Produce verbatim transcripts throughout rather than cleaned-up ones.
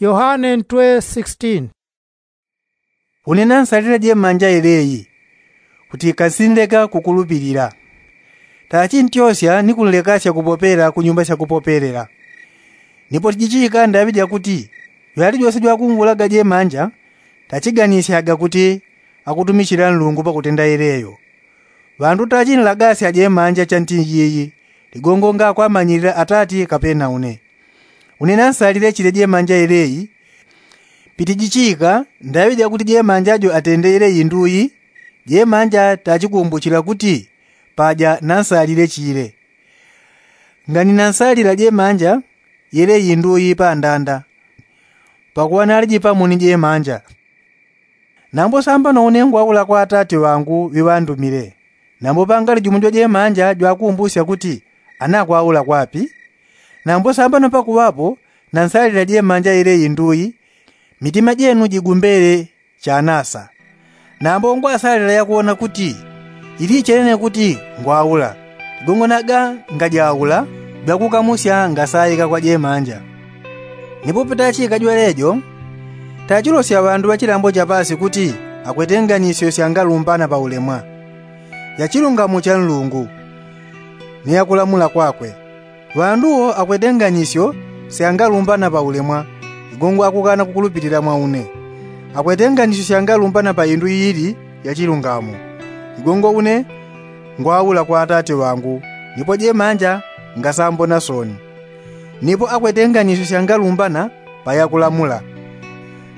Yohane ntwe sixteen. Une nansalila jemanja yeleyi, kuti kasinleka kukulupilila. Tachintyosya ni kunlekasya kupopela ku nyumba sya kupopelela. Nipo tijichika ndaŵi jakuti jwalijose jwakunwulaga jemanja tachiganisyaga kuti akutumichila nlungu pakutenda yeleyo. Ŵandu tachinlagasya jemanja chanti iyiyi, ligongo ngakwamanyilila atati kapena une. Une nansalile chile jemanja yeleyi. Pitijichika ndaŵi jakuti jemanja jo atende yeleyi nduyi, jemanja tachikumbuchila kuti paja nansalile chile. Ngani nansalila jemanja yeleyi nduyi pandanda, pakuŵa naliji pamo ni jemanja. Nambo sambano une ngwaula kwa atati ŵangu ŵiŵandumile. Nambo pangali jumo jwa jemanja jwakumbusya kuti anakwaula kwapi. Nambo sambano pakuŵapo nansalila jemanja yeleyi nduyi, mitima jenu jigumbele chanasa. Nambo ngwasalila yakuwona kuti ili chenene kuti ngwaula, ligongo naga ngajaula jwakukamusya ngasaika kwa jemanja. Nipo patachika jwelejo, tachilosya ŵandu ŵa chilambo chapasi kuti akwete nganisyo syangalumbana paulemwa, ya chilungamo cha nlungu, ni yakulamula kwakwe. Ŵandu wo akwete nganisyo syangalumbana paulemwa, ligongo akukana kukulupilila mwa une. Akwete nganisyo syangalumbana pa indu iyili ya chilungamo, ligongo une ngwaula kwa atati ŵangu, nipo jemanja ngasambona soni. Nipo akwete nganisyo syangalumbana pa yakulamula,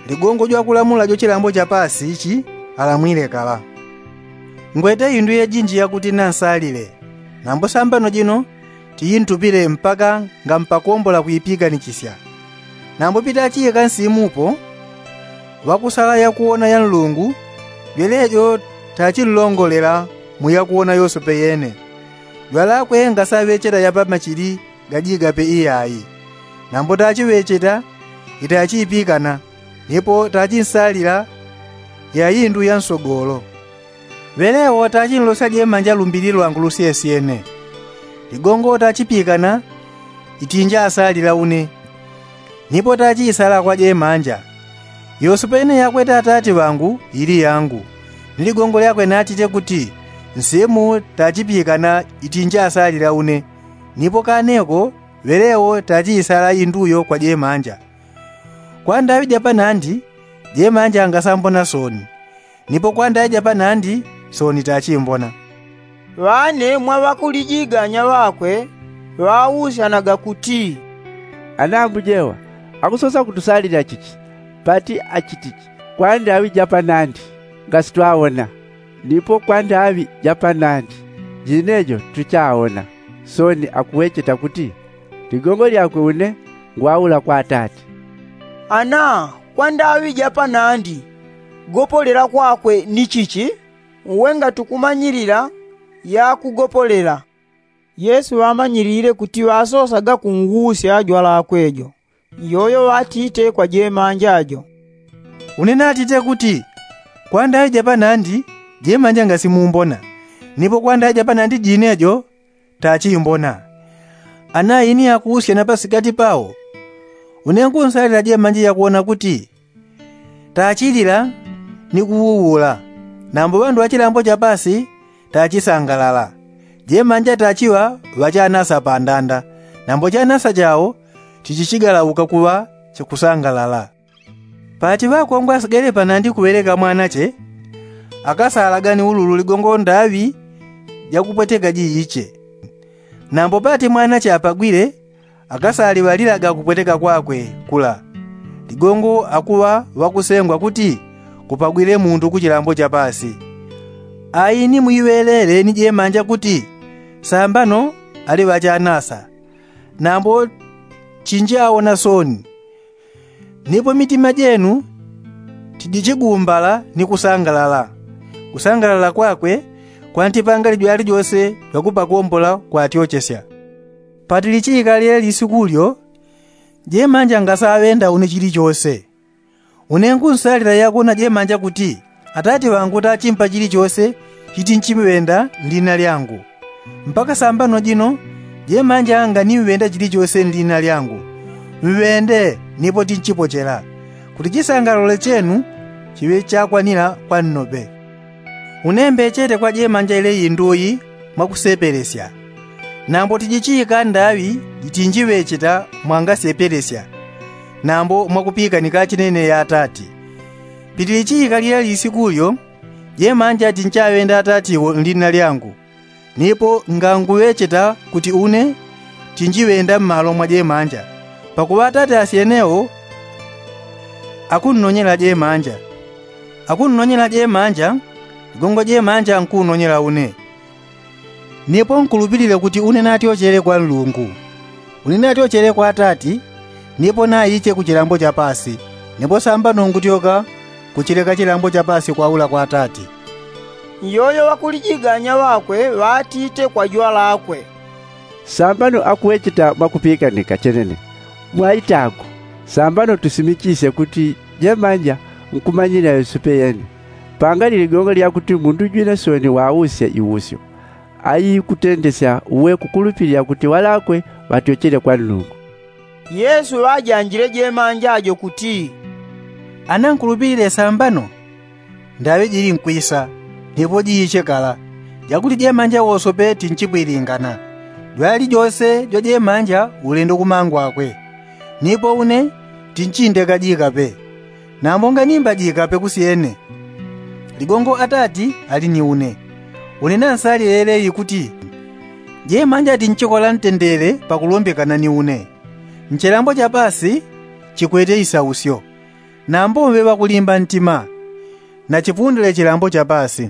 ligongo jwakulamula jo chilambo chapasi ichi alamwile kala. Ngwete indu yejinji yakuti nansalile. Nambo sambano jino tiyintupile mpaka ngampakombola kuipikanichisya. Nambo pitachika nsimu po, ŵakusala yakuwona ya nlungu, jwelejo tachinlongolela mu yakuwona yosepe yene. Jwalakwe ngasaŵecheta ya pamachili gajigape iyayi. Nambo tachiŵecheta itachipikana, nipo tachinsalila ya indu ya nsogolo. Ŵelewo tachinlosya jemanja lumbili lwangu lusyesyene, ligongo tachipikana itinjasalila une. Nipo tachisala kwa jemanja. Yosepe ine yakwete atati ŵangu ili yangu, ni ligongo lyakwe natite kuti nsimu tachipikana itinjasalila une. Nipo kaneko ŵelewo tachisala indu yo kwa jemanja. Kwa ndaŵi japanandi jemanja ngasambona soni, nipo kwa ndaŵi japanandi soni tachimbona. Ŵane mwa ŵakulijiganya ŵakwe ŵausyanaga kuti, ana ambujewa akusosa kutusalila chichi? Pati achitichi, kwa ndaŵi japanandi ngasitwaona, nipo kwa ndaŵi japanandi jinejo tuchaona. Soni akuwecheta kuti ligongo lyakwe une ngwaula kwa atati. Ana kwa ndaŵi japanandi gopolela kwakwe ni chichi? Uwe ngatukumanyilila yakugopolela. Yesu ŵamanyilile kuti ŵasosaga kunwusya jwalakwe jo, iyoyo ŵatite kwa jemanja jo, une natite kuti kwa ndaŵi japanandi jemanja ngasimumbona, nipo kwa ndaŵi japanandi jinejo tachimbona. Ana ini yakuusyana pasikati pao, une nkunsalila jemanja yakuwona kuti tachilila ni kuwuwula. Nambo ŵandu ŵa chilambo chapasi tachisangalala. Jemanja tachiŵa ŵachanasa pandanda, nambo chanasa chao chichichigalauka kuŵa chakusangalala. Pati ŵakongwe asigaile panandi kuŵeleka mwanache, akasalaga ni ululu ligongo ndaŵi jakupweteka jiiche. Nambo pati mwanache apagwile, akasaliŵalilaga kupweteka kwakwe kula. Ligongo akuŵa ŵakusengwa kuti kupagwile mundu ku chilambo chapasi. Aini muiŵelele ni jemanja kuti sambano ali ŵachanasa, nambo chinjaona soni. Nipo mitima jenu tijichigumbala ni kusangalala. Kusangalala kwakwe kwantipangali jwalijose jwakupakombola kwatyochesya. Patilichika lyele lisiku lyo, jemanja ngasaŵenda une chilichose. Une nkunsalila yakuwona jemanja kuti atati ŵangu tachimpa chilichose chitinchiŵenda nlina lyangu. Mpaka sambano jino jemanja nganiŵenda chilichose nlina lyangu, Mŵende nipo tinchipochela kuti chisangalole chenu chiŵe chakwanila kwa nnope. Une mbechete kwa jemanja ile induyi mwakusepelesya. Nambo tijichiika ndaŵi tinjiŵecheta mwangasepelesya nambo mwakupikanika chinene ya atati. Pitilichiika lile lisiku lyo jemanja tinchaŵenda atati wo nlina lyangu. Nipo nganguŵecheta kuti une tinjiŵenda mmalo mwa jemanja. Pakuŵa atati asyene wo akunnonyela jemanja. Akunnonyela jemanja ligongo jemanja nkunnonyela une. Nipo nkulupilile kuti une natyochele kwa nlungu. Une natyochele kwa atati. Nipo naiche ku chilambo cha pasi. Nipo sambano ngutyoka kuchileka chilambo cha pasi kwaula kwa atati. Nyoyo ŵakulijiganya ŵakwe ŵatite kwa jwalakwe, sambano akuŵecheta mwakupikanika chenene. Mwaitako sambano tusimichisye kuti jemanja nkumanyila yosepe yene. Pangali ligongo lyakuti mundu jwina soni wausya iusyo aikutendesya uwe kukulupilila kuti ŵalakwe ŵatyochele kwa nlungu. Yesu ŵajanjile jemanja jo kuti, ana nkulupilile sambano ndaŵe jili nkwisa. Nipo jiiche kala jakuti jemanja wosope tinchipwilingana. Jwalijose jwa jemanja ulendo kumangwakwe. Nipo une tinchindeka jikape. Nambo nganimba jikape kusyene ligongo atati ali ni une. Une nansalile leli kuti jemanja tinchikola ntendele pakulombekana ni une. Nchelambo cha pasi chikwete isausyo. Nambo mŵe ŵakulimba ntima nachipundile chilambo cha pasi.